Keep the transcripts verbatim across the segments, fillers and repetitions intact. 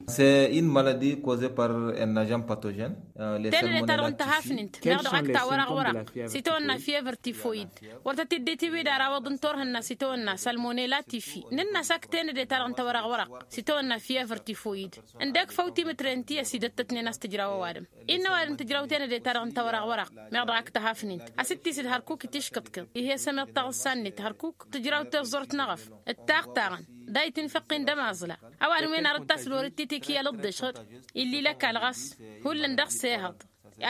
C'est une maladie causée par un agent pathogène. Tenăde-ta-dăɣ n-tăhafnint meɣ dăɣ-ak tawărăɣ wărăɣ s-itawănna fievăr tifoyid. Wăr tăt-dd-itiwid ara awăḍ n-torhǝnna s-itawănna salmonela tifi. Nǝnn'-as ak tenăde-ta-dăɣ n-tawărăɣ wărăɣ s-itawănna fievăr tifoyid. Ǝndek făw timǝtre n-ti ăsidăttătnen a-s tǝjraw ăwadǝm. Innă ăwadǝm tǝjraw tenăde-ta-dăɣ n-tawărăɣ wărăɣ meɣ dăɣ-ak tăhafnint a-s dd-tisǝd hărkuk itiškǝḍkǝḍ. Ih'-e sămeḍ taɣǝssa-net hărkuk tǝjraw tiẓẓurt n-eɣăf. Ǝttaɣ taɣăn dayǝt infăqqin d-ămaẓla. Ăwadǝm-wen ar ǝttas lor d-titi kiyăl ǝḍḍeš ɣǝd. Ill'-i lăkal ɣas hullan dăɣ-s ehăḍ.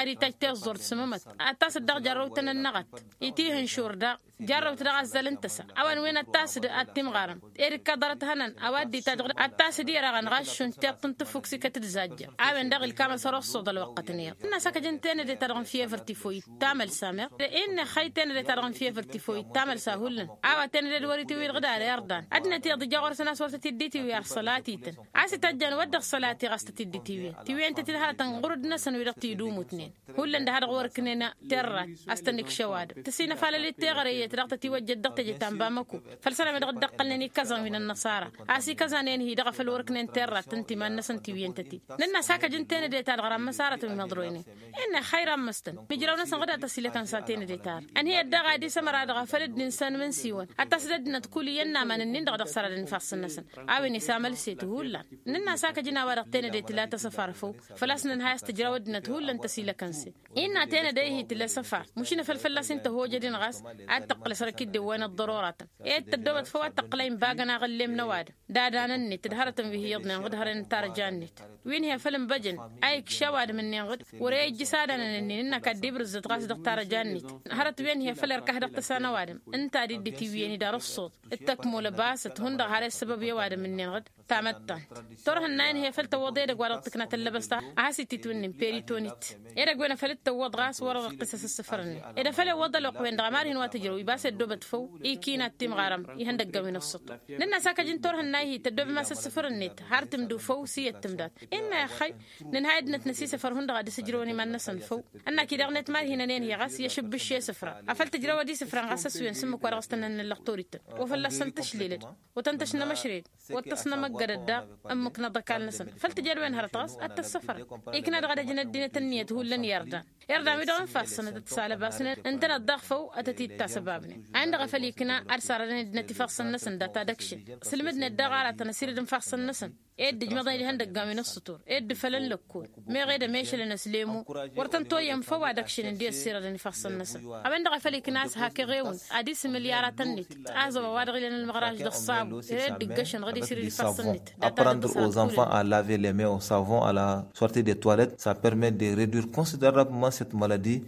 Ad-itaj tiẓẓurt s-mămăt ad-tasăt dăɣ-jarrăwtăn-ănnăɣăt. Itihǝnšur daɣ jarrăwt dăɣ-azzăl n-tăsa. A-wen wen ad-tasǝd ad-timɣarăm ed ǝkkaḍărăt hănăn a-wa dd-itajjăɣ ad-tasǝd irăɣăn ɣas šund tiṭṭ n-tǝffukt s-ikăt d-zajjăr. A-wen-dăɣ ilkam a-s ărossoḍ ălwăqqăt-net. Nǝnn'-as akăj n-tenăde-ta-dăɣ n-fievăr tifoyit tamălsa meɣ. Innă ixxăy tenăde-ta-dăɣ n-fievăr tifoyit tamălsa hullan. A-wa tenăde d-wăr-itiwǝy dăɣ-dd ar irdan ăddinăt iyyăḍ ija ɣur-săn a-s wăr tăt-dd-itiwǝy ar sălatităn. A-s ităjjan wăr dăɣ-sălati ɣas tăt-dd-itiwǝyăn tiwǝyăn-tăt-dd hărătăn ɣur-dd-năsăn wi-dăɣ t-idumutnen. Hullan d-ha-dăɣ wăr-ǝknen terrat a-s tăn-ikš ăwadǝm tăsinăfalăl-dd teɣăre iyyăt daɣ tătiwăjjăt dăɣ-teje ta n-bamăko. Făll-sănăme dăɣ-dd-ăqqălnen ikkăẓan wi n-ănnăṣara a-s ikăẓan enhi-dăɣ a făl wăr-ǝknen terrat ǝnta iman-năsăn tiwǝyăn-tăt-dd. Nǝnn'-as hakăj n-tenăde-ta-dăɣ ramăsarătăn wi măḍroynen. Innă ixxăy rammăstăn mijraw-năsăn ɣǝd ad-tăsilăkăn s-a tenăde-ta-dăɣ ănhăyăt daɣ ad-isămăra dăɣ-afăl dd-insan imǝnsiwăn ad-t-as dd-ăddinăt kull iyyăn n-aman-ǝnnin-dăɣ dăɣ-săradăn ifassăn-năsăn. A-wen isamălset hullan. Nǝnn'-as hakăj n-a-wa-dăɣ tenăde tǝla tăsăfar făw. Făl-a-s nǝnhăy a-s tǝjraw ăddinăt hullan tăsilăkăn-sen. Innă tenăde-hi tǝla săfar mušǝnăfăl fălla-s inta ăhojăd-in ɣas ad-tăqqǝlăs răkidden wa n-ăḍḍărorătăn. Ed tăddoobăt făw ad-tăqqǝlăy n-ibagăn aɣǝllem n-ăwadǝm d-adanăn-net d-hărătăn wi hi-iyyăḍnen ɣǝd hărăn n-tarăja-net. Wi n-hi-afăl ǝnbăjăn a ikš ăwadǝm-ǝnnin ɣǝd wăr-e ijjǝs adanăn-ǝnnin ǝnn'-ak ad-dd-ibrǝzzăt ɣas dăɣ-tarăja-net. Hărăt wi n-hi-afăl irkah dăɣ-tăsa n-ăwadǝm ǝnta ad-dd-itiwǝyăn-dd arǝṣṣuḍ d-tăkmolăbasăt hundăɣ har i-ăssăbăb i-ăwadǝm-ǝnnin ɣǝd. Tamăttant turhǝnna-in hi-afăl tăwwăḍ edăgg wa dăɣ-tǝkna tăllăbăst a has-ititwǝnnin peritonit. Edăgg-wen afăl dd-tăwwăḍ ɣas wăr-ăɣ iqqǝs asǝssǝfărnen ed afăl iwwăḍ ălwăqq-wen-dăɣ ămarhin wa tǝjrăw ibas i-ăddoobăt făw. Ikina d-timɣarăm ihăndăggăn wi n-ăṣṣăṭṭu. Nǝnn'-as akăj n-turhǝnna-hi tăddoobem asǝssǝfărnet har tǝmdǝw făw s-iyyăt tǝmdat. Innă ixxăy nǝnhăy ăddinăt n-asisăfăr hundăɣ ad-dd-sǝjrăwăn iman-năsăn făw. Ănn-ak-i daɣ-net ma dd-hinăn enhi ɣas i-ašǝbbǝš i-isǝfran afăl tǝjrăw ad-isǝfran ɣas ăswen s-ǝmmǝk wa dăɣ-s tăn-ănnăllăɣ torităn. Wa fălla-s tăn-tǝšlelăd wa tăn-tăšnămăšred wa t-tăsnămăggădăd daɣ ǝmmǝk n-aḍăkal-năsăn. Făl tǝj ed wen hărăt ɣas ad-tăssăfărăn. Ikna dăɣ-ad-ăjǝn ăddinăt ǝnniyăt hullan i-ărdan. Irdan-wi-dăɣ ǝnfasăn ad-ătsalăbasnen ǝntăneḍ daɣ făw ad-tăt-dd-tasăbabnen. A-wen-dăɣ a făl ikna ad-sarădăn ăddinăt ifassăn-năsăn data ad-ăkšǝn. Sǝlmǝdnet daɣ aratăn ăsirǝd n-ifassăn-năsăn ed dd-ǝjmăḍăn-dd ihăndăggan wi n-ăṣṣutur ed dd-fălăn lăkkol. Meɣ ed ămešălăn ăslemu wăr tăn-toyyăn făw ad-ăkšǝn ǝndi ăssirădăn ifassăn-năsăn. A-wen-dăɣ a făl ikna a-s hak eɣewǝn ad-isǝmǝl i-aratăn-net. Aẓăwa wa-dăɣ ilăn ălmăɣraj d-ăṣṣabu ere dd-ǝggăšăn ɣǝd isǝrǝd ifassăn-net. Data-dăɣ tăsrăt kulăt. Apprendre aux enfants à laver les mains au savon à la sortie des toilettes, ça permet de réduire considérablement cette maladie.